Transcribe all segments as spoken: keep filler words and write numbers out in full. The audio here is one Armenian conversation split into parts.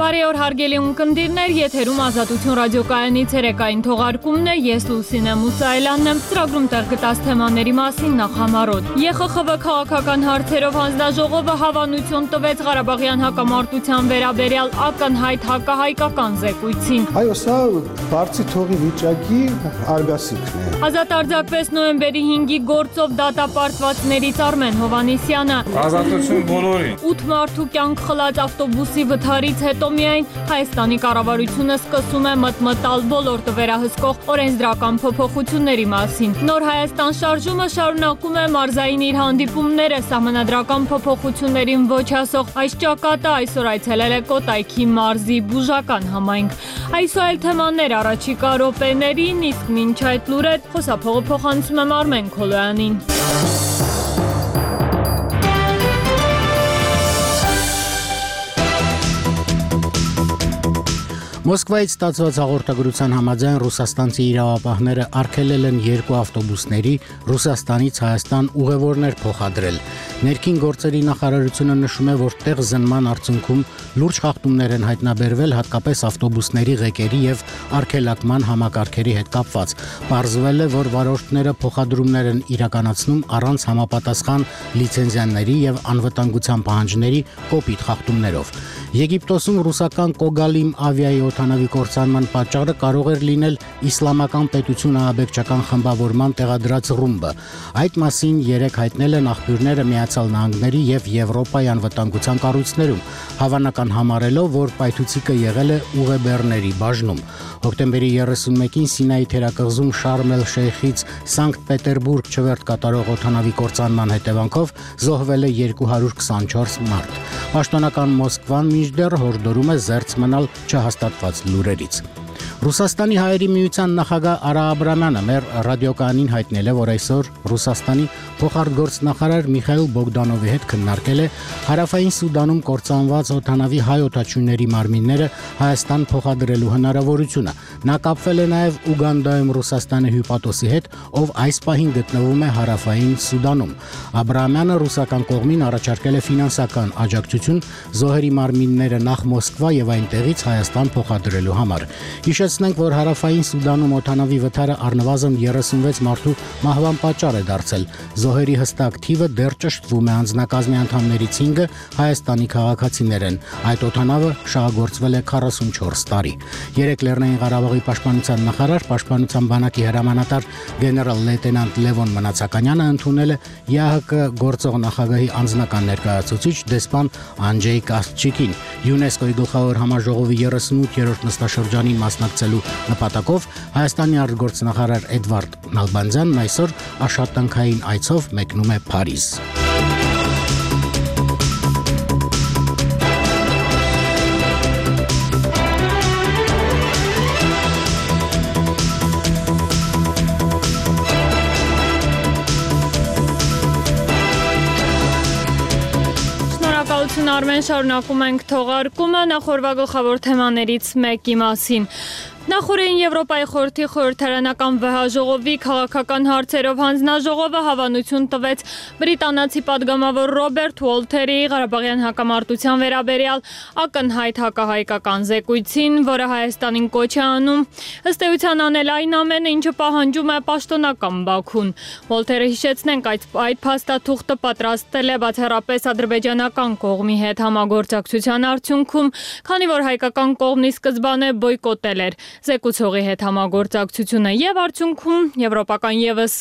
Բարի օր հարգելի ունկնդիրներ, եթերում Ազատություն ռադիոկայանի ցերեկային թողարկումն է, ես Լուսինե Մուսայելյանն եմ, ծրագրում տեղ գտած թեմաների մասին նախ համառոտ։ Ե Խ Խ V քաղաքական հարցերով հանձնաժողովը հավանություն տվեց Ղարաբաղյան հակամարտության վերաբերյալ ակնհայտ հակահայկական զեկույցին։ Այո, սա բարձի թողի վիճակի արգասիքն է։ Ազատ արձակվեց նոյեմբերի հինգի գործով դատապարտվածներից Արմեն Հովհաննիսյանը։ Ազատություն բոլորին։ ութ մարդու կյանք խլած ավտոբուսի վթարից հետո միայն Հայաստանի կառավարությունը սկսում է մտմտալ ոլորտը վերահսկող օրենսդրական փոփոխությունների մասին։ Նոր Հայաստան շարժումը շարունակում է մարզային իր հանդիպումները սահմանադրական փոփոխություններին ոչ ասող այս ճակատը այսօր այցելել է Կոտայքի մարզի բուժական համայնք։ Այսօր թեմաներ առաջիկա րոպեներին, իսկ մինչ այդ լուրեր խոսափողը փոխանցում եմ Արմեն Քոլոյանին։ Մոսկվայից ստացված հաղորդագրության համաձայն ռուսաստանցի իրավապահները արգելել են երկու ավտոբուսների Ռուսաստանից Հայաստան ուղևորներ փոխադրել։ Ներքին գործերի նախարարությունը նշում է, որ տեղ զնման արդյունքում լուրջ խախտումներ են հայտնաբերվել հատկապես ավտոբուսների ղեկերի եւ արգելակման համակարգերի հետ կապված։ Պարզվել է, որ վարորդները փոխադրումներ են իրականացնում առանց համապատասխան լիցենզիաների եւ անվտանգության պահանջների կոպիտ խախտումներով։ Եգիպտոսում ռուսական Կոգալիմ ավիայի օդանավի կործանման պատճառը կարող էր լինել իսլամական պետություն ահաբեկչական խմբավորման տեղադրած ռումբը։ Այդ մասին երեկ հայտնել են աղբյուրները Միացյալ Նահանգների եւ Եվրոպայի անվտանգության կառույցներում, հավանական համարելով, որ պայթուցիկը եղել է ուղեբեռների բաժնում։ Հոկտեմբերի երեսունմեկին Սինայի թերակղզում Շարմ էլ-Շեյխից Սանկտ Պետերբուրգ չվերթ կատարող օդանավի կործանման հետևանքով զոհվել է երկու հարյուր քսանչորս մարդ։ Պաշտոնական Մոսկվան մինչդեռ հորդորում է զերծ մնալ չհաստատված լուրերից։ Ռուսաստանի հայերի միության նախագահ Արա Աբրամյանը մեր ռադիոկայանին հայտնել է, որ այսօր Ռուսաստանի փոխարտգործնախարար Միխայիլ Բոգդանովի հետ քննարկել է Հարավային Սուդանում կործանված օդանավի հայ օդաչուների մարմինները Հայաստան փոխադրելու հնարավորությունը։ Նա կապվել է նաև Ուգանդայում Ռուսաստանի հյուպատոսի հետ, ով այս պահին գտնվում է Հարավային Սուդանում։ Աբրամյանը ռուսական կողմին առաջարկել է ֆինանսական աջակցություն զոհերի մարմինները նախ Մոսկվա եւ այնտեղից Հայաստան փոխադրելու համար։ Հիշեցնենք, որ Հարավային Սուդանում օդանավի վթարը առնվազն երեսունվեց մարդու մահվան պատճառ է դարձել։ Զոհերի հստակ թիվը դեռ ճշտվում է, անձնակազմի անդամներից հինգը Հայաստանի քաղաքացիներ են։ Այդ օդանավը շահագործվել է քառասունչորս տարի։ Երեք Լեռնային Ղարաբաղի պաշտպանության նախարար, պաշտպանության բանակի հրամանատար գեներալ լեյտենանտ Լևոն Մնացականյանը ընդունել է Ե Հ Կ գործող նախագահի անձնական ներկայացուցիչ դեսպան Անջեյ Կասչիկին։ ՅՈՒՆԵՍԿՕ-ի գլխավոր համաժողովի երեսունութերորդ նստաշրջանին մասնակցելու նպատակով Հայաստանի արտգործնախարար Էդվարդ Նալբանդյանն այսօր աշխատանքային այցով մեկնում է Փարիզ։ Արմեն, շարունակում ենք թողարկումը նախորդ գլխավոր թեմաներից մեկի մասին։ Նախորդին Եվրոպայի խորհրդի խորհրդարանական վեհաժողովի քաղաքական հարցերով հանձնաժողովը հավանություն տվեց բրիտանացի падգամավոր Ռոբերտ Ուոլթերի Ղարաբաղյան հակամարտության վերաբերյալ ակնհայտ հակահայկական զեկույցին, որը Հայաստանին կոչ է անում ըստ էության անել այն ամենը, ինչը պահանջում է պաշտոնական Բաքուն։ Ուոլթերը, հիշեցնենք, այդ, այդ փաստաթուղթը պատրաստել է բացառապես ադրբեջանական կողմի հետ համագործակցության արդյունքում, քանի որ հայկական կողմն ի սկզբանե բոյկոտել էր զեկուցողի հետ համագործակցությունը եւ արդյունքում եվրոպական եւս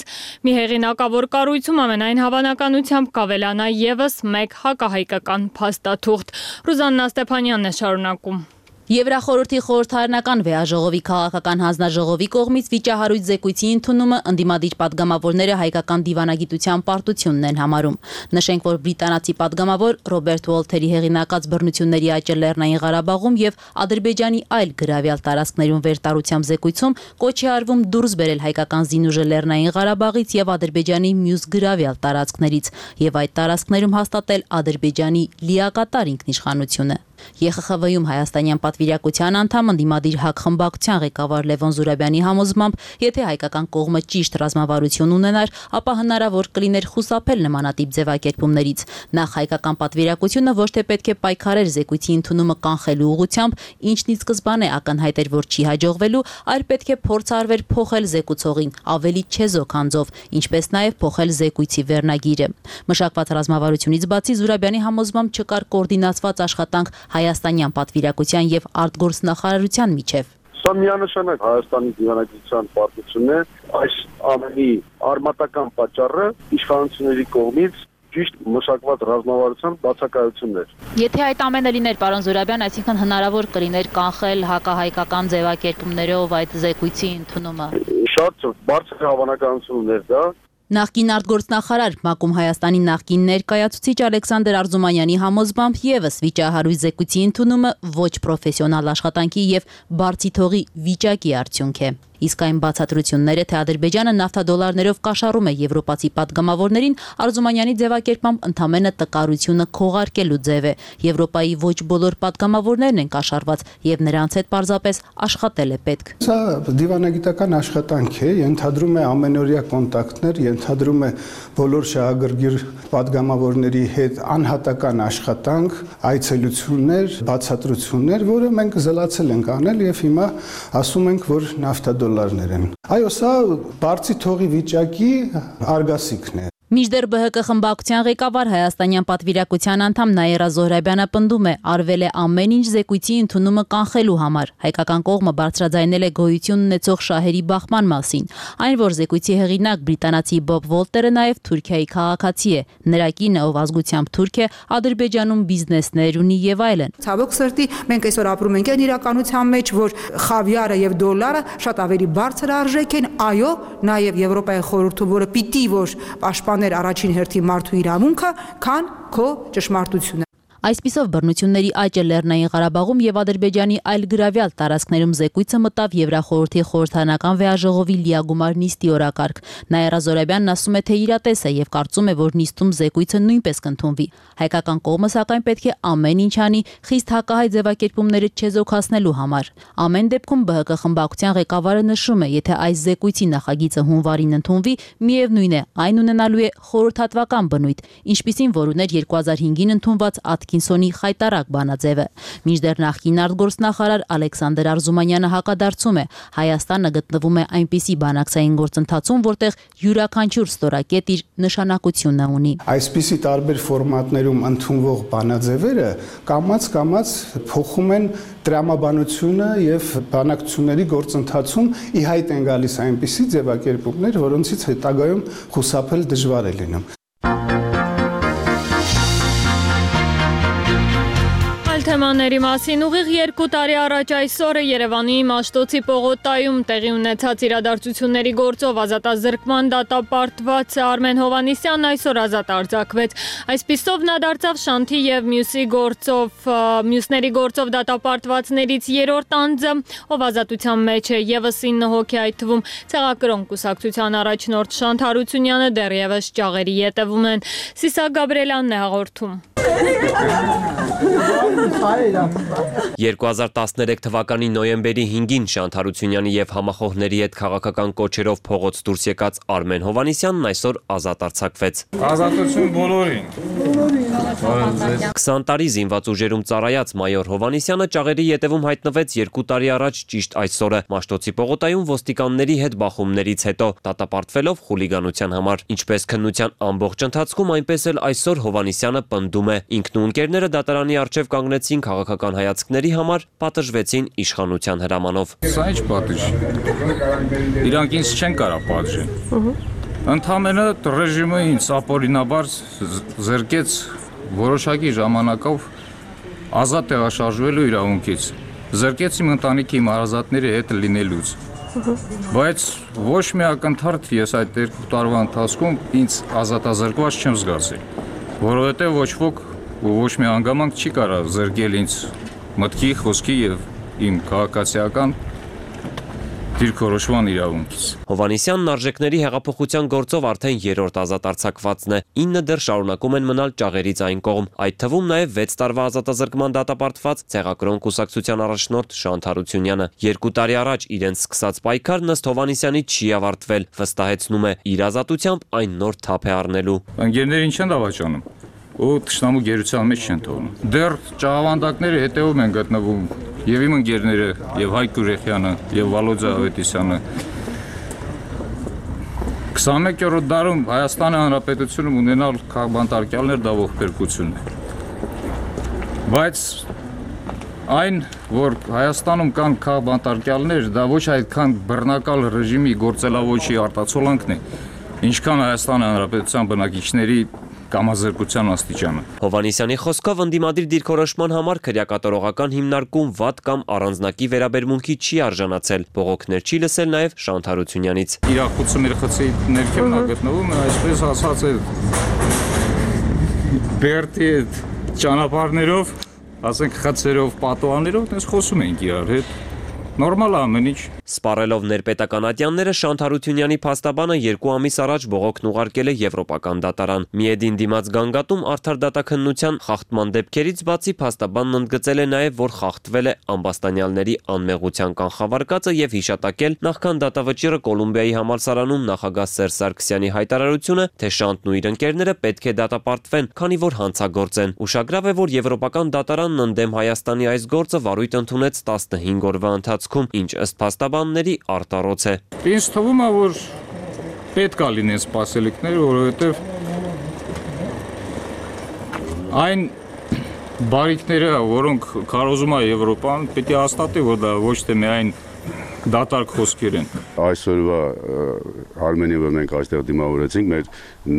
մի հեղինակավոր կառույցում ամենայն հավանականությամբ կավելանա եւս մեկ հակահայկական փաստաթուղթ։ Ռուզաննա Ստեփանյանն է շարունակում։ Եվրախորհրդի խորհրդարանական վեհաժողովի քաղաքական հանձնաժողովի կողմից վիճահարույց զեկույցի ընդունումը ընդդիմադիր падգամավորները հայկական դիվանագիտության պարտությունն են համարում։ Նշենք, որ բրիտանացի падգամավոր Ռոբերտ Ուոլթերի հեղինակած բռնությունների աճը Լեռնային Ղարաբաղում եւ Ադրբեջանի այլ գրավյալ տարածքներում վերտարությամբ զեկույցում կոչ է արվում դուրս բերել հայկական զինուժը Լեռնային Ղարաբաղից եւ Ադրբեջանի մյուս գրավյալ տարածքներից եւ այդ տարածքներում հաստատել Ադրբեջանի լիակատար ինքնիշխանությունը։ Ե Խ Խ V-ում հայաստանյան պատվիրակության անդամ ընդդիմադիր ՀԱԿ խմբակցության ղեկավար Լևոն Զուրաբյանի համոզմամբ, եթե հայկական կողմը ճիշտ ռազմավարություն ունենար, ապա հնարավոր կլիներ խուսափել նմանատիպ ձևակերպումներից։ Նախ հայկական պատվիրակությունը ոչ թե պետք է պայքարեր զեկույցի ընդունումը կանխելու ուղղությամբ, ինչն ի սկզբանե ակնհայտ էր, որ չի հաջողվելու, այլ պետք է փորձ արվեր փոխել զեկուցողին ավելի չեզոք անձով, ինչպես նաև փոխել զեկույցի վերնագիրը։ Մշակված ռազմավարությունից բացի Զուրաբյանի համոզմամբ չկար կոորդինացված աշխատանք հայաստանյան պատվիրակության եւ արտգործնախարարության միջև։ Սա միանշանակ Հայաստանի դիվանագիտության պարտությունն է, այս ամենի արմատական պատճառը իշխանությունների կողմից ճիշտ մշակված ռազմավարության բացակայությունն էր։ Եթե այդ ամենը լիներ, պարոն Զուրաբյան, այսինքն հնարավոր կլիներ կանխել հակահայկական ձևակերպումներով այդ զեկույցի ընդունումը։ Շատ բարձր հավանականություն ուներ դա։ Նախկին արտգործնախարար ՄԱԿ-ում Հայաստանի նախկին ներկայացուցիչ Ալեքսանդր Արզումանյանի համոզմամբ եւս վիճահարույց զեկույցի ընդունումը ոչ պրոֆեսիոնալ աշխատանքի եւ բարձիթողի վիճակի արդյունք է։ Իսկ այն բացատրությունները, թե Ադրբեջանը նավթադոլարներով կաշառում է եվրոպացի պատգամավորներին, Արզումանյանի ձևակերպմամբ ընդամենը տկարությունը քողարկելու ձև է։ Եվրոպայի ոչ բոլոր պատգամավորներն են կաշառված եւ նրանց հետ պարզապես աշխատել է պետք։ Սա դիվանագիտական աշխատանք է, ենթադրում է ամենօրյա կոնտակտներ, ենթադրում է բոլոր շահագրգիռ պատգամավորների հետ անհատական աշխատանք, այցելություններ, բացատրություններ, որը մենք զլացել ենք անել եւ հիմա ասում ենք, որ նավթադոլարներ են։ Այո, սա բարձի թողի վիճակի արգասիքն է։ Մինչդեռ ԲՀԿ խմբակցության ղեկավար հայաստանյան պատվիրակության անդամ Նաիրա Զոհրաբյանը պնդում է, արվել է ամեն ինչ զեկույցի ընդունումը կանխելու համար։ Հայկական կողմը բարձրաձայնել է գոյություն ունեցող շահերի բախման մասին։ Այն, որ զեկույցի հեղինակ բրիտանացի Բոբ Վոլտերը նաև Թուրքիայի քաղաքացի է, նրա կինը, ով ազգությամբ թուրք է, Ադրբեջանում բիզնեսներ ունի եւ այլն։ Ցավոք սրտի, մենք այսօր ապրում ենք այն իրականության մեջ, որ խավիարը եւ դոլարը շատ ավելի բարձր արժեք են, այո, նաև Եվրոպայի խորհուրդը, որը պիտի որ պաշտպաներ առաջին հերթին մարդու իրավունքը, քան քո ճշմարտությունը։ Այսպիսով բռնությունների աճը Լեռնային Ղարաբաղում եւ Ադրբեջանի այլ գրավյալ տարածքներում զեկույցը մտավ Եվրախորհրդի խորհրդարանական վեաժողովի լիագումար նիստի օրակարգ։ Նաիրա Զոհրաբյանն ասում է, թե իրատես է եւ կարծում է, որ նիստում զեկույցը նույնպես կընդունվի։ Հայկական կողմը սակայն պետք է ամեն ինչ անի խիստ հակահայ ձևակերպումները չեզոքացնելու համար։ Ամեն դեպքում ԲՀԿ խմբակցության ղեկավարը նշում է, եթե այս զեկույցի նախագիծը հունվարին ընդունվի, միևնույն է, այն ունենալու է խորհրդատվական բնույթ, ինչպիսին որ ուներ երկու հազար հինգին ընդունված Աթկինսոնի խայտարակ բանաձևը։ Մինչդեռ նախկին արտգործնախարար Ալեքսանդր Արզումանյանը հակադարձում է, Հայաստանը գտնվում է այնպիսի բանակցային գործընթացում, որտեղ յուրաքանչյուր ստորակետ իր նշանակությունը ունի։ Այսպիսի տարբեր ֆորմատներում ընդունվող բանաձևերը կամաց-կամաց փոխում են տրամաբանությունը եւ բանակցությունների գործընթացում ի հայտ են գալիս այնպիսի ձևակերպումներ, որոնցից հետագայում խուսափել դժվար է լինում։ Թեմաների մասին ուղիղ երկու տարի առաջ այսօրը Երևանի Մաշտոցի պողոտայում տեղի ունեցած իրադարձությունների գործով ազատազրկման դատապարտված Արմեն Հովհաննիսյանն այսօր ազատ արձակվեց։ Այսպիսով նա դարձավ Շանթի եւ մյուսի գործով մյուսների գործով դատապարտվածներից երրորդ անձը, ով ազատության մեջ է, եւս ինը հոգի, այդ թվում ցեղակրոն կուսակցության առաջնորդ Շանթ Հարությունյանը դեռևս ճաղերի ետևում են։ Սիսակ Գաբրելյանն է հաղորդում։ երկու հազար տասներեք թվականի նոյեմբերի հինգին Շանթ Հարությունյանի եւ համախոհների հետ քաղաքական կոչերով փողոց դուրս եկած Արմեն Հովհաննիսյանն այսօր ազատ արձակվեց։ Ազատություն բոլորին։ քսան տարի զինված ուժերում ծառայած մայոր Հովհաննիսյանը ճաղերի ետևում հայտնվեց երկու տարի առաջ ճիշտ այսօրը Մաշտոցի պողոտայում ոստիկանների հետ բախումներից հետո, դատապարտվելով խուլիգանության համար։ Ինչպես քննության ամբողջ ընթացքում, այնպես էլ այսօր Հովհաննիսյանը պնդում է, ինքն ու ընկերները դատարանի առջև կանգնեցին քաղաքական հայացքների համար, պատժվեցին իշխանության հրամանով։ Սա ինչ պատիժ։ Իրանք ինձ չեն կարող պատժել։ Ընդհանրապես ռեժիմը ինձ ապօրինաբար զրկեց որոշակի ժամանակով ազատ տեղաշարժվելու իրավունքից։ Զրկեց իմ ընտանիքի մարզատների հետ լինելուց։ Բայց ոչ մի ակնթարթ ես այդ երկու տարվա ընթացքում ինձ ազատազրկված չեմ զգացել, որովհետև ոչ ոք ու ոչ մի հանգամանք չի կարող զրկել ինձ մտքի, խոսքի եւ իմ քաղաքացիական դիրքորոշման իրավունքից։ Հովանեսյանն արժեքների հեղափոխության գործով արդեն երրորդ ազատ արձակվածն է, ինը դեռ շարունակում են մնալ ճաղերից այն կողմ, այդ թվում նաև վեց տարվա ազատազրկման դատապարտված Ցեղակրոն կուսակցության առաջնորդ Շանթ Հարությունյանը։ Երկու տարի առաջ իրենց սկսած պայքարն ըստ Հովանեսյանի չի ավարտվել, վստահեցնում է, իր ազատությամբ այն նոր թափ է առնելու։ Ընկերներին չեն դավաճանում ու թշնամու գերության մեջ չեն թողնում։ Դեռ ճաղավանդակների հետևում են գտնվում եւ իմ ընկերները, եւ Հայկ Գուրեխյանը, եւ Վալոդիա Ավետիսյանը։ քսանմեկերորդ դարում Հայաստանի Հանրապետությունում ունենալ քաղբանտարկյալներ դա ողբերգություն է։ Բայց այն, որ Հայաստանում կան քաղբանտարկյալներ, դա ոչ այդքան բռնակալ ռեժիմի գործելավոճի արտացոլանքն է, ինչքան Հայաստանի Հանրապետության բնակիչների կամազրկության աստիճանը։ Հովանեսյանի խոսքով ընդդիմադիր դիրքորոշման համար քրեակատարողական հիմնարկում վատ կամ առանձնակի վերաբերմունքի չի արժանացել, բողոքներ չի լսել նաև Շանթ Հարությունյանից։ Իրախուցը մեր խցի ներքևն է գտնվում, այսպես ասած է Բերտի ճանապարհներով, ասենք խցերով, պատուհաններով, դες խոսում ենք իրար հետ։ Նորմալ է ամեն ինչ։ Սպառելով ներպետական ատյանները Շանթ Հարությունյանի փաստաբանը երկու ամիս առաջ բողոքն ուղարկել է Եվրոպական դատարան։ Միեդին դիմաց գանգատում արդար դատաքննության խախտման դեպքերից բացի փաստաբանն ընդգծել է նաև, որ խախտվել է ամբաստանյալների անմեղության կանխավարկածը եւ հիշատակել նախքան դատավճիռը Կոլումբիայի համալսարանում նախագահ Սերժ Սարգսյանի հայտարարությունը, թե Շանթն ու իր ընկերները պետք է դատապարտվեն, քանի որ հանցագործ են։ Ուշագրավ է, որ Եվրոպական դատարանն ընդդեմ Հայաստանի այս գործը վարույթ ընդունեց տասնհինգ օրվա ընթացքում, ինչ ըստ փաստաբանների արտառոց է։ Ինձ թվում է, որ պետք է լինեն սպասելիքներ, որովհետև այն բարիքները, որոնք քարոզում է Եվրոպան, պետք է հաստատի, որ դա ոչ թե միայն դատարկ խոսքեր են։ Այսօրվա Արմենիայով մենք այստեղ դիմավորեցինք, մեր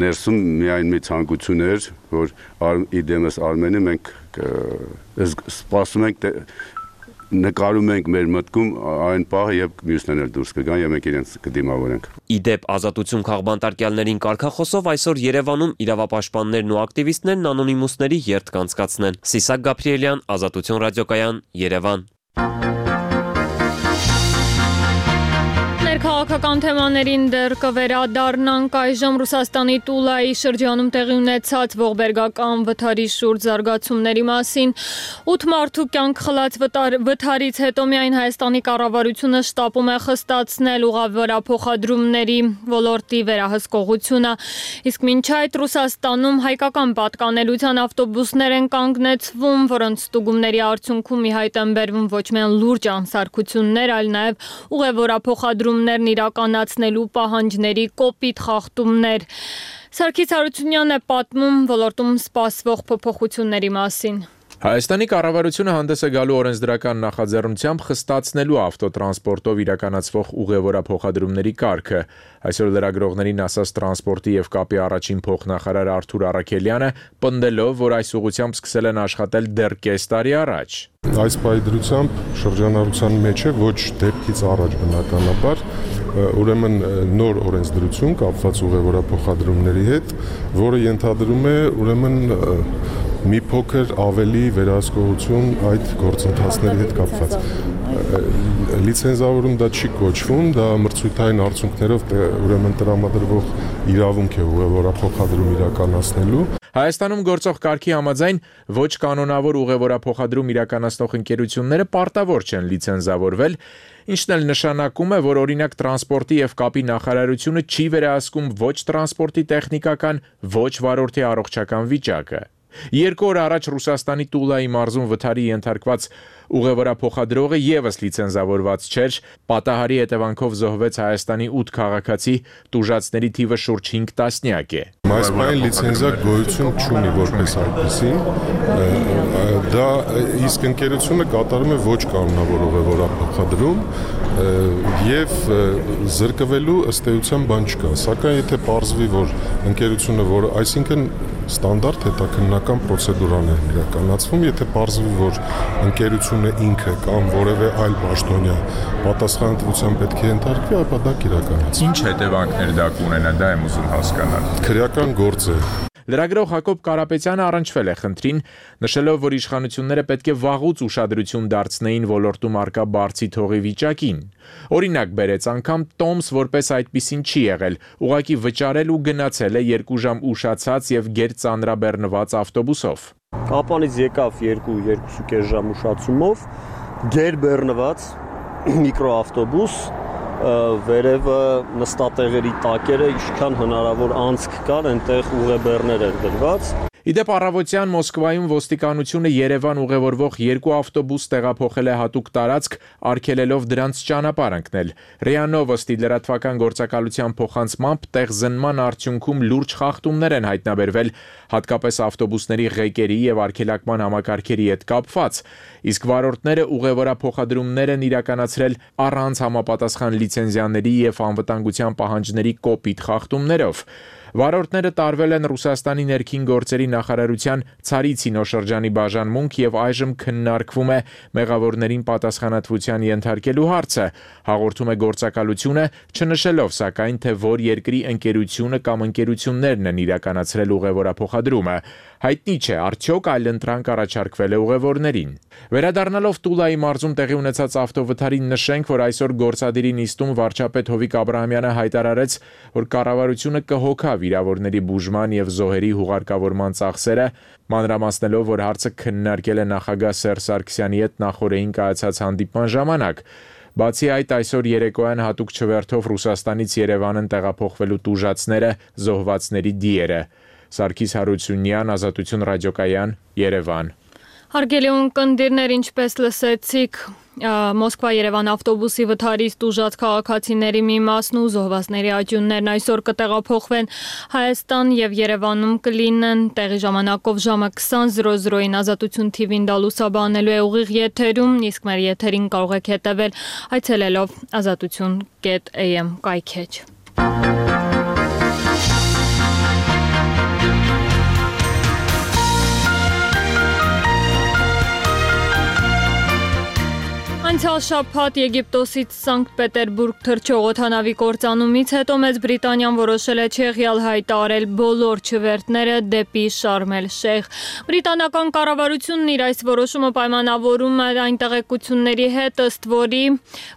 ներսում միայն մի ցանկություն էր, որ իդեմս Արմենի մենք սպասում ենք, նկարում ենք մեր մտքում այն պահը, երբ մյուսներն էլ դուրս կգան եւ մենք իրենց կդիմավորենք։ Իդեպ ազատություն քաղբանտարկյալներին կարգախոսով այսօր Երևանում իրավապաշտպաններն ու ակտիվիստներն անոնիմուսների երթ կանցկացնեն։ Սիսակ Գաբրիելյան, Ազատություն ռադիոկայան, Երևան։ Քաղաքական թեմաներին դեռ կվերադառնանք այժմ Ռուսաստանի Տուլայի շրջանում տեղի ունեցած ողբերգական վթարի շուրջ զարգացումների մասին։ ութ մարդու կյանք խլած վթարից հետո միայն Հայաստանի կառավարությունը շտապում է խստացնել ուղևորափոխադրումների ոլորտի վերահսկողությունը, իսկ մինչ այդ Ռուսաստանում հայկական պատկանելության ավտոբուսներ են կանգնեցվում, որոնց ստուգումների արդյունքում ի հայտ են բերվում ոչ միայն լուրջ անսարքություններ, այլ նաև ուղևորափոխադրումներ իրականացնելու պահանջների կոպիտ խախտումներ։ Սարգիս Հարությունյանն է պատմում ոլորտում սպասվող փոփոխությունների մասին։ Հայաստանի կառավարությունը հանդես է գալու օրենսդրական նախաձեռնությամբ խստացնելու ավտոտրանսպորտով իրականացվող ուղևորափոխադրումների կարգը։ Այսօր լրագրողներին ասաց տրանսպորտի եւ կապի առաջին փոխնախարար Արթուր Առաքելյանը, պնդելով, որ այս ուղղությամբ սկսել են աշխատել դեռ կես տարի առաջ։ Այս պայդրությամբ շրջանառության մեջ է ոչ դեպքից առաջ բնականաբար, ուրեմն նոր օրենսդրություն կապված ուղևորափոխադրումների հետ, որը ենթադրում է ուրեմն մի փոքր ավելի վերահսկողություն այդ գործընթացների հետ կապված։ Լիցենզավորում դա չի կոչվում, դա մրցույթային արդյունքներով ուրեմն տրամադրվող իրավունք է ուղևորափոխադրում իրականացնելու։ Հայաստանում գործող կարգի համաձայն ոչ կանոնավոր ուղևորափոխադրում իրականացնող ընկերությունները պարտավոր չեն լիցենզավորվել, ինչն էլ նշանակում է, որ օրինակ տրանսպորտի եւ կապի նախարարությունը չի վերահսկում ոչ տրանսպորտի տեխնիկական, ոչ վարորդի առողջական վիճակը։ Երկու օր առաջ Ռուսաստանի Տուլայի մարզում վթարի ենթարկված ուղևորափոխադրողը եւս լիցենզավորված չէր, պատահարի հետևանքով զոհվեց Հայաստանի ութ քաղաքացի, տուժածների թիվը շուրջ հինգ տասնյակ է։ Այս պայն լիցենզիա գոյություն չունի որպես այդպեսին, դա իսկ ընկերությունը կատարում է ոչ կանոնավոր ուղևորափոխադրում եւ զրկվելու ըստ էության բան չկա, սակայն եթե պարզվի, որ ընկերությունը, որ այսինքն ստանդարտ հետաքննական պրոցեդուրաներ իրականացվում, եթե պարզվի, որ ընկերությունը ինքը կամ որևէ այլ պաշտոնյա պատասխանատվության պետք է ենթարկվի, ապա դա կիրականացվի։ Ինչ հետևանքներ դա կունենա, դա եմ ուզում հասկանալ։ Քրեական գործ է։ Լրագրող Հակոբ Կարապետյանը առնչվել է խնդրին, նշելով, որ իշխանությունները պետք է վաղուց ուշադրություն դարձնեին ոլորտում առկա բարձի թողի վիճակին։ Օրինակ բերեց, անգամ Տոմս որպես այդպիսին չի եղել, ուղղակի վճարել ու գնացել է երկու ժամ ուշացած եւ գերծանրաբեռնված ավտոբուսով։ Կապանից եկավ երկու երկու կես ժամ ուշացումով, գերբեռնված միկրոավտոբուս, վերևը նստատեղերի տակերը ինչքան հնարավոր անցք կար, այնտեղ ուղեբեռներ էր դրված։ Իդեպ առավոտյան Մոսկվայում ոստիկանությունը Երևան ուղևորվող երկու ավտոբուս տեղափոխել է հատուկ տարածք, արգելելով դրանց ճանապարհ ընկնել։ ՌԻԱ Նովոստի լրատվական գործակալության փոխանցմամբ տեղզնման արդյունքում լուրջ խախտումներ են հայտնաբերվել, հատկապես ավտոբուսների ղեկերի եւ արգելակման համակարգերի հետ կապված, իսկ վարորդները ուղևորափոխադրումներ են իրականացրել առանց համապատասխան լիցենզիաների եւ անվտանգության պահանջների կոպիտ խախտումներով։ Վարորդները տարվել են Ռուսաստանի ներքին գործերի նախարարության Ցարիցինո շրջանի բաժանմունք եւ այժմ քննարկվում է մեղավորներին պատասխանատվության ենթարկելու հարցը, հաղորդում է գործակալությունը, չնշելով սակայն թե որ երկրի ընկերությունը կամ ընկերություններն են իրականացրել ուղևորափոխադրումը։ Հայտնի չէ, արդյոք այլընտրանք առաջարկվել է ուղևորներին։ Վերադառնալով Տուլայի մարզում տեղի ունեցած ավտովթարին նշենք, որ այսօր գործադիրի նիստում վարչապետ Հովիկ Աբրահամյանը հայտարարեց, որ կառավարությունը կհոգա վիրավորների բուժման եւ զոհերի հուղարկավորման ծախսերը, մանրամասնելով, որ հարցը քննարկել է նախագահ Սերժ Սարգսյանի հետ նախորդին կայացած հանդիպման ժամանակ։ Բացի այդ, այսօր երեկոյան հատուկ չվերթով Ռուսաստանից Երևան են տեղափոխվելու տուժածները, զոհվածների դիերը։ Սարգիս Հարությունյան, Ազատություն ռադիոկայան, Երևան։ Հարգելի ունկնդիրներ, ինչպես լսեցիք, Մոսկվա-Երևան ավտոբուսի վթարից տուժած քաղաքացիների մի մասն ու զոհվածների աջուններն այսօր կտեղափոխվեն Հայաստան եւ Երևանում կլինեն տեղի ժամանակով ժամը քսան զրո զրոին Ազատություն թիվին դա լուսաբանելու է ուղիղ եթերում, իսկ մեր եթերին կարող եք հետևել այցելելով ազատություն կետ a m կայքեջ։ Անցյալ շաբաթ Եգիպտոսից Սանկտ Պետերբուրգ թռչող օդանավի կործանումից հետո Մեծ Բրիտանիան որոշել է չեղյալ հայտարարել բոլոր չվերթները դեպի Շարմ էլ-Շեյխ։ Բրիտանական կառավարությունն իր այս որոշումը պայմանավորում է այն տեղեկությունների հետ, ըստ որի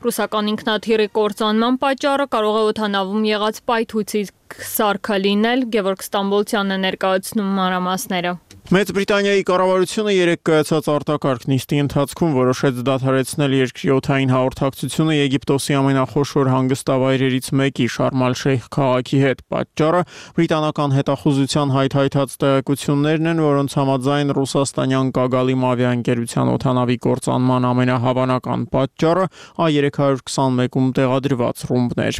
ռուսական ինքնաթիռի կործանման պատճառը կարող է օդանավում եղած պայթուցի սարքը լինել։ Գևորգ Ստամբոլցյանն է ներկայացնում մանրամասները։ Մեծ Բրիտանիայի կառավարությունը երեկ կայացած արտակարգ նիստի ընթացքում որոշեց դադարեցնել երկրի օդային հաղորդակցությունը Եգիպտոսի ամենախոշոր հանգստավայրերից մեկի Շարմ էլ-Շեյխ քաղաքի հետ։ Պատճառը բրիտանական հետախուզության հայթայթած տեղեկություններն են, որոնց համաձայն ռուսաստանյան Կագալիմ ավիաընկերության օդանավի կործանման ամենահավանական պատճառը A երեք հարյուր քսանմեկում տեղադրված ռումբներ։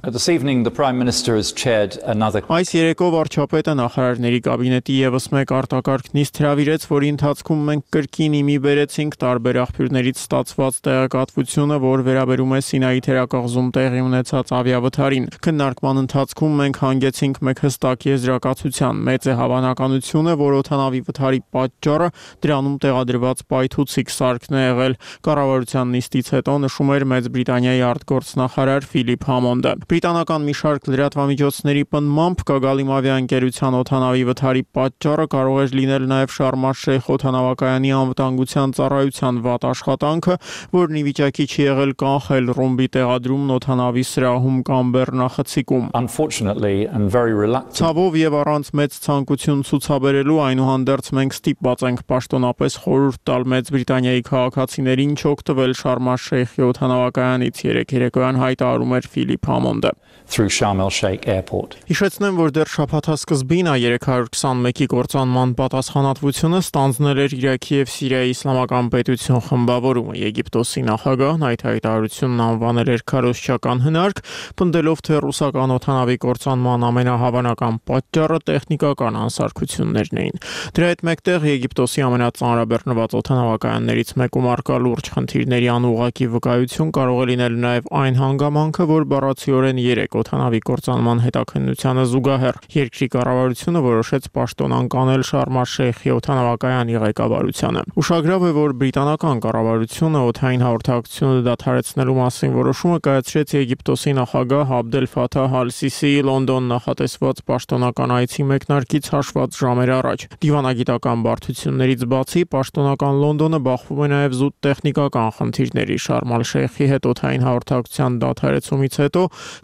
Այս երեկո վարչապետը նախարարների կաբինետի ևս մեկ արտակարգ նիստ հրավիրեց, որի ընթացքում մենք կրկին իմի բերեցինք տարբեր աղբյուրներից ստացված տեղեկատվությունը, որ վերաբերում է Սինայի թերակղզում տեղի ունեցած ավիավթարին։ Քննարկման ընթացքում մենք հանգեցինք մեկ հստակ եզրակացության. մեծ է հավանականությունը, որ օդանավի վթարի պատճառը դրանում տեղադրված պայթուցիկ սարքն է եղել, կառավարության նիստից հետո նշում էր Մեծ Բրիտանիայի արտգործնախարար Ֆիլիպ Համոնդը։ Բրիտանական մի շարք լրատվամիջոցների պնդմամբ Կագալիմ ավիաընկերության օդանավի վթարի պատճառը կարող էր լինել նաև Շարմ էլ-Շեյխ օդանավակայանի անվտանգության ծառայության վատ աշխատանքը, որն ի վիճակի չի եղել կանխել ռումբի տեղադրումն օդանավի սրահում կամ բեռնախցիկում։ Ցավով եւ առանց մեծ ցանկություն ցուցաբերելու այնուհանդերձ մենք ստիպված ենք պաշտոնապես խորհուրդ տալ Մեծ Բրիտանիայի քաղաքացիներին չօգտվել Շարմ էլ-Շեյխի օդանավակայանից, երեկ երեկոյան հայտարարում էր Ֆիլիպ Համոնդը։ Հիշեցնեմ, որ դեռ շաբաթասկզբին A երեք հարյուր քսանմեկի կործանման պատասխանատվությունը ստանձնել էր Իրաքի եւ Սիրիայի իսլամական պետություն խմբավորումը։ Եգիպտոսի նախագահն այդ հայտարարությունն անվանել էր քարոզչական հնարք, պնդելով, թե ռուսական օդանավի կործանման ամենահավանական պատճառը տեխնիկական անսարքություններն էին։ Դրա հետ մեկտեղ Եգիպտոսի ամենածանրաբեռնված օդանավակայաններից մեկում առկա լուրջ խնդիրների անուղղակի վկայություն կարող է լինել նաև այն հանգամանքը, որ բառացիորեն երեք օդանավի կործանման հետաքննության հաջողությանը զուգահեռ։ Երկրի կառավարությունը որոշեց պաշտոնան կանել Շարմ ալ-Շեյխի օդանավակայանի ղեկավարությանը։ Ուշագրավ է, որ բրիտանական կառավարությունը օդային հաղորդակցությունը դադարեցնելու մասին որոշումը կայացրեց Եգիպտոսի նախագահ Աբդել Ֆաթահ ալ-Սիսիի Լոնդոն նախատեսված պաշտոնական այցի մեկնարկից հաշված ժամեր առաջ։ Դիվանագիտական բարդություններից բացի պաշտոնական Լոնդոնը բախվում է նաև զուտ տեխնիկական խնդիրների։ Շարմ ալ-Շեյխի հետ օդային հաղորդակցության դադարեցումից հետո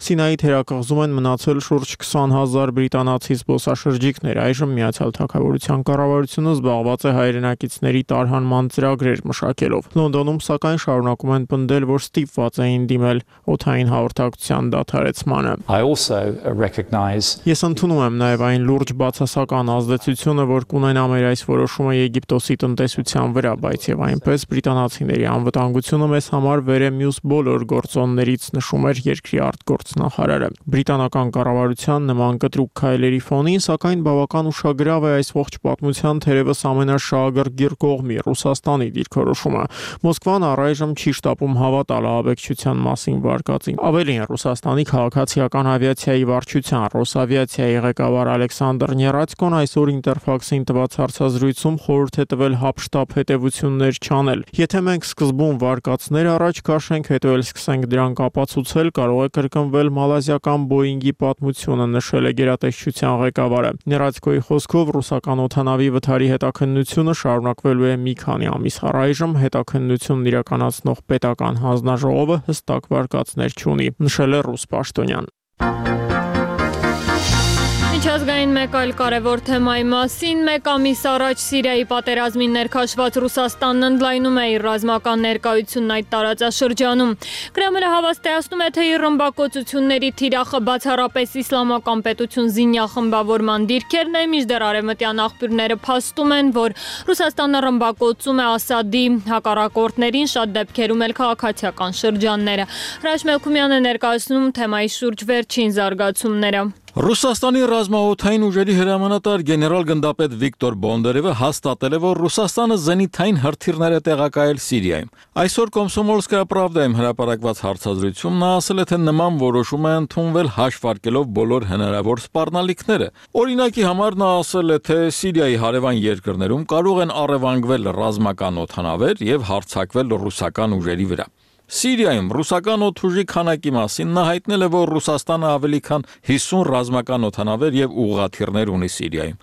Սինայի թերակղզում են մնացել շուրջ քսան հազար բրիտանացի զբոսաշրջիկներ։ Այժմ Միացյալ Թագավորության կառավարությունը զբաղված է հայրենակիցների տարհանման ծրագրեր մշակելով։ Լոնդոնում սակայն շարունակում են պնդել, որ ստիպված էին դիմել օդային հաղորդակցության դադարեցմանը։ Ես ընդունում եմ նաև այն լուրջ բացասական ազդեցությունը, որ կունենա մեր այս որոշումը Եգիպտոսի տնտեսության վրա, բայց եւ այնպես բրիտանացիների անվտանգությունը մեզ համար վեր է մյուս բոլոր գործոններից, նշում էր երկրի արտգործնախարարը։ Բրիտանական կառավարության նման կտրուկ քայլերի ֆոնին, սակայն բավական ուշագրավ է այս ողջ պատմության թերևս ամենաշահագրգիռ կողմի Ռուսաստանի դիրքորոշումը։ Մոսկվան առայժմ չի շտապում հավատալ ահաբեկչության մասին վարկածին։ Ավելին, Ռուսաստանի քաղաքացիական ավիացիայի վարչության Ռոսավիացիայի ղեկավար Ալեքսանդր Նյարացկոն այսօր Ինտերֆաքսին տված հարցազրույցում խորհուրդ է տվել հապշտապ հետևություններ չանել։ Եթե մենք սկզբում վարկածներ առաջ քաշենք, հետո էլ սկսենք դրանք ապացուցել, կարող է կրկնվել մալազիական Boeing-ի պատմությունը, նշել է գերատեսչության ղեկավարը։ Նյարացկոյի խոսքով ռուսական օդանավի վթարի հետաքննությունը շարունակվելու է մի քանի ամիս։ Առայժմ հետաքննությունն իրականացնող պետական հանձնաժողովը հստակ վարկածներ չունի, նշել է ռուս պաշտոնյան։ Միջազգային մեկ այլ կարևոր թեմայի մասին մեկ ամիս առաջ Սիրիայի պատերազմին ներքաշված Ռուսաստանն ընդլայնում է իր ռազմական ներկայությունն այդ տարածաշրջանում։ Կրեմլը հավաստիացնում է, թե իր ռմբակոծությունների թիրախը բացառապես իսլամական պետություն զինյա խմբավորման դիրքերն են, մինչդեռ արևմտյան աղբյուրները փաստում են, որ Ռուսաստանը ռմբակոծում է Ասադի հակառակորդներին, շատ դեպքերում էլ քաղաքացիական շրջանները։ Հրաշ Մելքումյանը ներկայացնում թեմայի շուրջ վերջին զարգացումները։ Ռուսաստանի ռազմաօդային ուժերի հրամանատար գեներալ գնդապետ Վիկտոր Բոնդարևը հաստատել է, որ Ռուսաստանը զենիթային հրթիռներ է տեղակայել Սիրիայում։ Այսօր Կոմսոմոլսկայա Պրավդայում հրապարակված հարցազրույցում նա ասել է, թե նման որոշում է ընդունվել հաշվարկելով բոլոր հնարավոր սպառնալիքները։ Օրինակի համար նա ասել է, թե Սիրիայի հարևան երկրներում կարող են առևանգվել ռազմական օդանավեր եւ հարձակվել ռուսական ուժերի վրա։ Սիրիայում ռուսական օդուժի քանակի մասին նա հայտնել է, որ Ռուսաստանը ավելի քան հիսուն ռազմական օդանավեր եւ ուղղաթիռներ ունի Սիրիայում։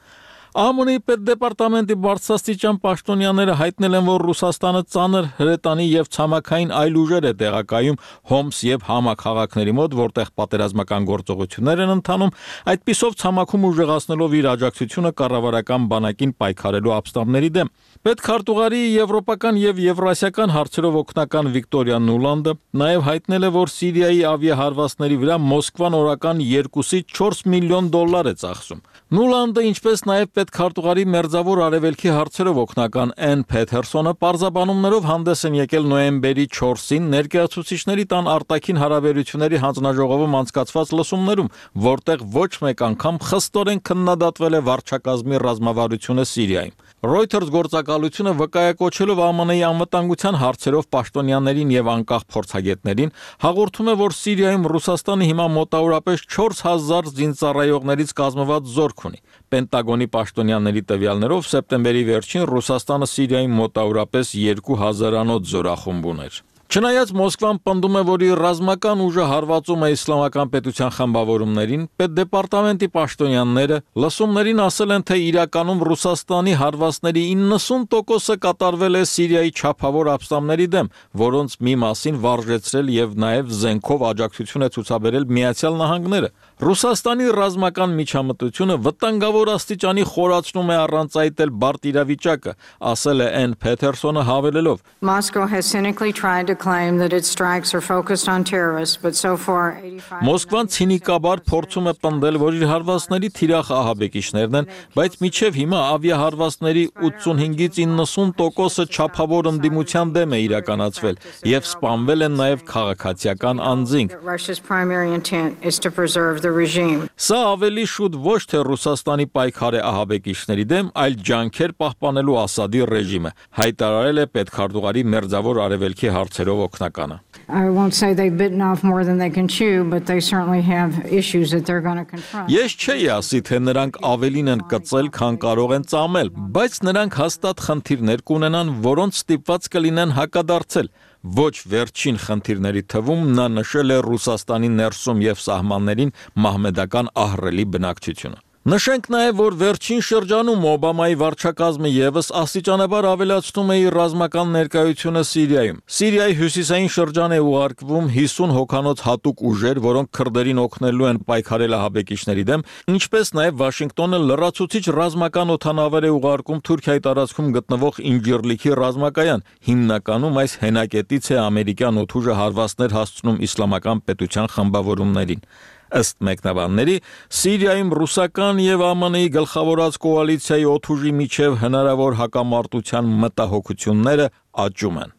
ԱՄՆ-ի պետդեպարտամենտի բարձրաստիճան պաշտոնյաները հայտնել են, որ Ռուսաստանը ծանր հրետանի եւ ցամաքային այլ ուժեր է տեղակայում Հոմս եւ Համա քաղաքների մոտ, որտեղ պատերազմական գործողություններ են ընթանում, այդպիսով ցամաքում ուժեղացնելով իր աջակցությունը կառավարական բանակին պայքարելու ապստամբների դեմ։ Պետքարտուղարի եվրոպական եւ եվրասիական հարցերով օգնական Վիկտորիա Նուլանդը նաեւ հայտնել է, որ Սիրիայի ավիահարվածների վրա Մոսկվան օրական երկուսից չորս միլիոն դոլար է ծախսում։ Նուլանդը, ինչպես նաեւ պետքարտուղարի մերձավոր արևելքի հարցերով օգնական Էն Փեթերսոնը պարզաբանումներով հանդես են եկել նոյեմբերի չորսին ներկայացուցիչների տան արտաքին հարաբերությունների հանձնաժողովում անցկացված լսումներում, որտեղ ոչ մեկ անգամ խստորեն քննադատվել է վարչակազմի ռազմավարությունը Սիրիայում։ Reuters գործակալությունը վկայակոչելով ԱՄՆ-ի անվտանգության հարցերով պաշտոնյաներին եւ անկախ փորձագետներին հաղորդում է, որ Սիրիայում Ռուսաստանը հիմա մոտավորապես չորս հազար զինծառայողներից կազմված զորք ունի։ Պենտագոնի պաշտոնյաների տվյալներով սեպտեմբերի վերջին Ռուսաստանը Սիրիայում մոտավորապես երկու հազարանոց զորախումբ ուներ։ Չնայած Մոսկվան պնդում է, որ իր ռազմական ուժը հարվածում է իսլամական պետության խմբավորումներին, պետդեպարտամենտի պաշտոնյաները լսումներին ասել են, թե իրականում Ռուսաստանի հարվածների իննսուն տոկոսը կատարվել է Սիրիայի չափավոր ապստամբների դեմ, որոնց մի մասին վարժեցրել եւ նաեւ զենքով աջակցություն է ցուցաբերել Միացյալ Նահանգները։ Ռուսաստանի ռազմական միջամտությունը վտանգավոր աստիճանի խորացնում է առանց այդ էլ բարդ իրավիճակը, ասել է Էն Փեթերսոնը հավելելով. Moscow has cynically tried to claim that its strikes are focused on terrorists, but so far eighty-five Մոսկվան ցինիկաբար փորձում է պնդել, որ իր հարվածների թիրախը ահաբեկիչներն են, բայց մինչև հիմա ավիահարվածների ութսունհինգից իննսուն տոկոսը չափավոր ընդդիմության դեմ է իրականացվել եւ սպանվել են նաեւ քաղաքացիական անձինք։ Russia's primary intent is to preserve the regime. Սա ավելի շուտ ոչ թե Ռուսաստանի պայքար է ահաբեկիչների դեմ, այլ ջանքեր պահպանելու Ասադի ռեժիմը, հայտարարել է պետքարտուղարի մերձավոր արևելքի հարցերով հարցերով օգնականը։ I won't say they've bitten off more than they can chew, but they certainly have issues that they're going to confront. Ես չէի ասի, թե նրանք ավելին են կծել, քան կարող են ծամել, բայց նրանք հաստատ խնդիրներ կունենան, որոնց ստիպված կլինեն հակադարձել։ Ոչ վերջին խնդիրների թվում նա նշել է Ռուսաստանի ներսում եւ սահմաններին մահմեդական ահռելի բնակչությունը։ Նշենք նաև, որ վերջին շրջանում Օբամայի վարչակազմը եւս աստիճանաբար ավելացնում է իր ռազմական ներկայությունը Սիրիայում։ Սիրիայի հյուսիսային շրջան է ուղարկվում հիսուն հոգանոց հատուկ ուժեր, որոնք քրդերին օգնելու են պայքարել ահաբեկիչների դեմ, ինչպես նաև Վաշինգտոնը լրացուցիչ ռազմական օդանավեր է ուղարկում Թուրքիայի տարածքում գտնվող Ինջիրլիքի ռազմակայան։ Հիմնականում այս հենակետից է ամերիկյան օդուժը հարվածներ հասցնում իսլամական պետության խմբավորումներին։ Ըստ մեկնաբանների, Սիրիայում ռուսական եւ Α M N-ի գլխավորած կոալիցիայի օդուժի միջև հնարավոր հակամարտության մտահոգությունները աճում են։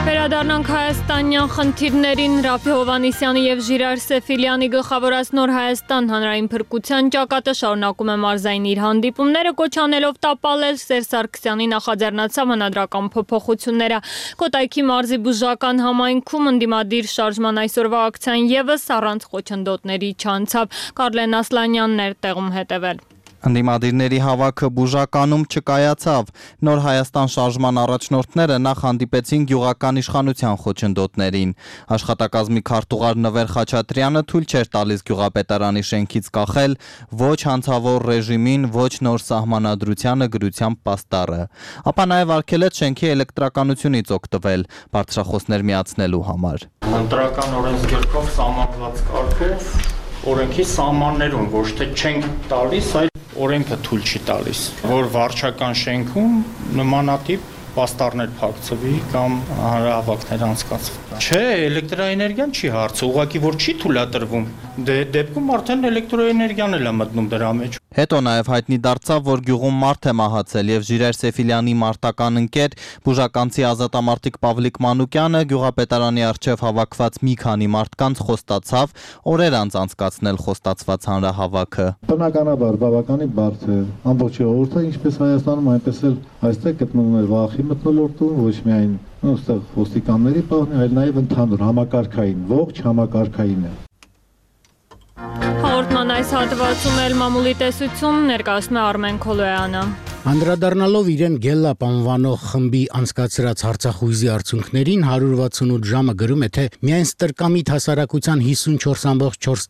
Վերադառնանք հայաստանյան խնդիրներին։ Ռաֆի Հովհաննիսյանի եւ Ժիրայր Սեֆիլյանի գլխավորած Նոր Հայաստան հանրային փրկության ճակատը շարունակում է մարզային իր հանդիպումները, կոչ անելով տապալել Սերժ Սարգսյանի նախաձեռնացավ հանրական փոփոխությունները։ Կոտայքի մարզի բուժական համայնքում ընդդիմադիր շարժման այսօրվա ակցիան եւս առանց խոչընդոտների չանցավ։ Կարլեն Ասլանյանն էր տեղում հետևել։ Ընդդիմադիրների հավաքը բուժականում չկայացավ։ Նոր Հայաստան շարժման առաջնորդները նախ հանդիպեցին գյուղական իշխանության խոչընդոտներին։ Աշխատակազմի քարտուղար Նվեր Խաչատրյանը թույլ չէր տալիս գյուղապետարանի շենքից կախել ոչ հանցավոր ռեժիմին, ոչ նոր սահմանադրությանը գրությամբ պաստառը։ Ապա նաև արգելեց շենքի էլեկտրականությունից օգտվել բարձրախոսներ միացնելու համար։ Ընտրական օրենսգիրքով սահմանված կարգով օրենքի սահմաններում ոչ թե չենք տալիս, այլ օրենքը թույլ չի տալիս, որ վարչական շենքում նմանատիպ պաստառներ փակցվի կամ հանրահավաքներ անցկացվի։ Չէ, էլեկտրոէներգիան չի հարցը, ուղղակի որ չի թույլատրվում, դե դեպքում արդեն էլեկտրոէներգիան էլ է մտնում դրա մեջ։ Հետո նաև հայտնի դարձավ, որ գյուղում մարդ է մահացել եւ Ժիրայր Սեֆիլյանի մարտական ընկեր բուժականցի ազատամարտիկ Պավլիկ Մանուկյանը գյուղապետարանի առջև հավաքված մի քանի մարդկանց խոստացավ օրեր անց անցկացնել խոստացված հանրահավաքը։ Բնականաբար բավականին բարդ է։ Ամբողջ ժողովուրդը, ինչպես Հայաստանում, այնպես էլ այստեղ գտնվում է վախի մթնոլորտում, ոչ միայն այստեղ ոստիկանների պահն, այլ նաև ընդհանուր համակարգային, ողջ համակարգային է։ Հաղորդման այս հատվածում էլ մամուլի տեսություն ներկայացնում է Արմեն Քոլոյանը։ Անդրադառնալով իրեն Գելլապ անվանող խմբի անցկացրած հարցախույզի արդյունքներին հարյուր վաթսունութ ժամը գրում է, թե միայն ստրկամիտ հասարակության հիսունչորս կόμμα չորս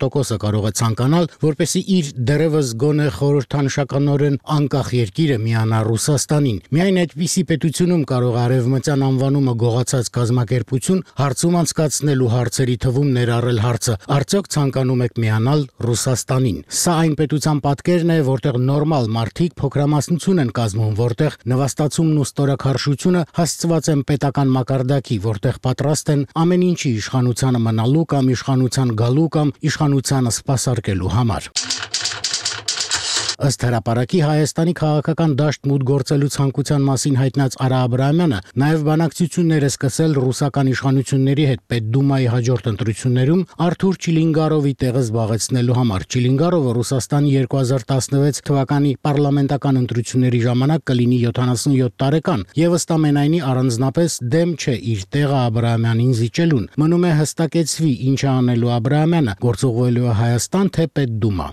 տոկոսը կարող է ցանկանալ, որպեսզի իր դեռևս գոնե խորհրդանշականորեն անկախ երկիրը միանա Ռուսաստանին։ Միայն այդպիսի պետությունում կարող է արևմտյան անվանումը գողացած կազմակերպություն հարցում անցկացնելու հարցերի թվում ներառել հարցը. արդյոք ցանկանում եք միանալ Ռուսաստանին։ Սա այն պետության պատկերն է, որտեղ նորմալ մարդիկ փոքրամասնություն են կազմում, որտեղ նվաստացումն ու ստորաքարշությունը հասցված են պետական մակարդակի, որտեղ պատրաստ են ամեն ինչի իշխանությանը մնալու կամ իշխանության գալու կամ իշխանությանը սպասարկելու համար։ Ըստ հրապարակի Հայաստանի քաղաքական դաշտ մուտք գործելու ցանկության մասին հայտնած Արա Աբրահամյանը նաև բանակցություններ է սկսել ռուսական իշխանությունների հետ Պետդումայի հաջորդ ընտրություններում Արթուր Չիլինգարովի տեղը զբաղեցնելու համար։ Չիլինգարովը Ռուսաստանի երկու հազար տասնվեց թվականի պարլամենտական ընտրությունների ժամանակ կլինի յոթանասունյոթ տարեկան եւ ըստ ամենայնի առանձնապես դեմ չէ իր տեղը Աբրահամյանին զիջելուն։ Մնում է հստակեցվի ինչ է անելու Աբրահամյանը, գործուղվելու է Հայաստան թե Պետդումա։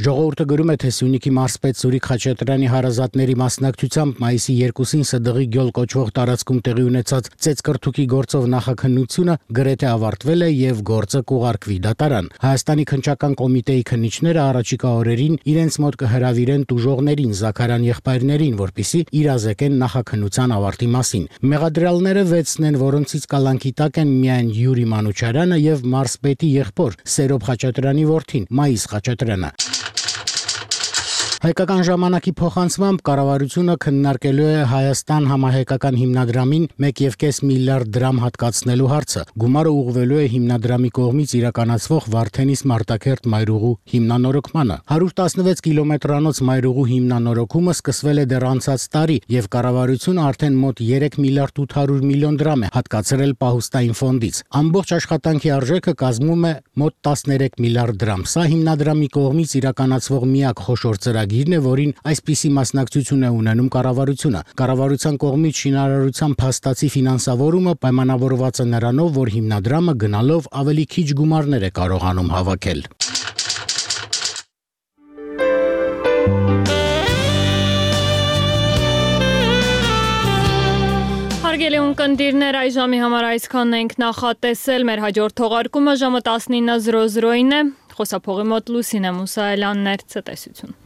Ժողովուրդը գրում է, թե Սյունիքի մարզպետ Սուրիկ Խաչատրյանի հարազատների մասնակցությամբ մայիսի երկուսին Սդղի գյուղ կոչվող տարածքում տեղի ունեցած ծեծկրթուկի գործով նախաքննությունը գրեթե ավարտվել է եւ գործը կուղարկվի դատարան։ Հայաստանի քննչական կոմիտեի քննիչները առաջիկա օրերին իրենց մոտ կհրավիրեն տուժողներին, Զաքարյան եղբայրներին, որպիսի իրազեկեն նախաքննության ավարտի մասին։ Մեղադրյալները վեցն են, որոնցից կալանքի տակ են միայն Յուրի Մանուչարյանը եւ մարզպետի եղբոր Սերոբ Խաչատրյանի որդին Մայիս Խաչատրյանը։ Հայկական ժամանակի փոխանցմամբ կառավարությունը քննարկելու է Հայաստան համահայկական հիմնադրամին մեկ եւ կես միլիարդ դրամ հատկացնելու հարցը։ Գումարը ուղղվելու է հիմնադրամի կողմից իրականացվող Վարդենիս Մարտակերտ մայրուղու հիմնանորոգմանը։ հարյուր տասնվեց կիլոմետրանոց մայրուղու հիմնանորոգումը սկսվել է դեռ անցած տարի եւ կառավարությունը արդեն մոտ երեք միլիարդ ութ հարյուր միլիոն դրամ է հատկացրել պահուստային ֆոնդից։ Ամբողջ աշխատանքի արժեքը կազմում է մոտ տասներեք միլիարդ դրամ։ Սա հիմնադրամի կողմից իրականացվող միակ խոշոր ծրագիր ծրագիրն է, որին այսպիսի մասնակցություն է ունենում կառավարությունը։ Կառավարության կողմից շինարարության փաստացի ֆինանսավորումը պայմանավորված է նրանով, որ հիմնադրամը գնալով ավելի քիչ գումարներ է կարողանում հավաքել։ Հարգելի ունկնդիրներ, այս ժամի համար այսքանն ենք նախատեսել։ Մեր հաջորդ թողարկումը ժամը տասնինը զրո զրոին է։ Խոսափողի մոտ Լուսինե Մուսայելյանն էր, ցտեսություն։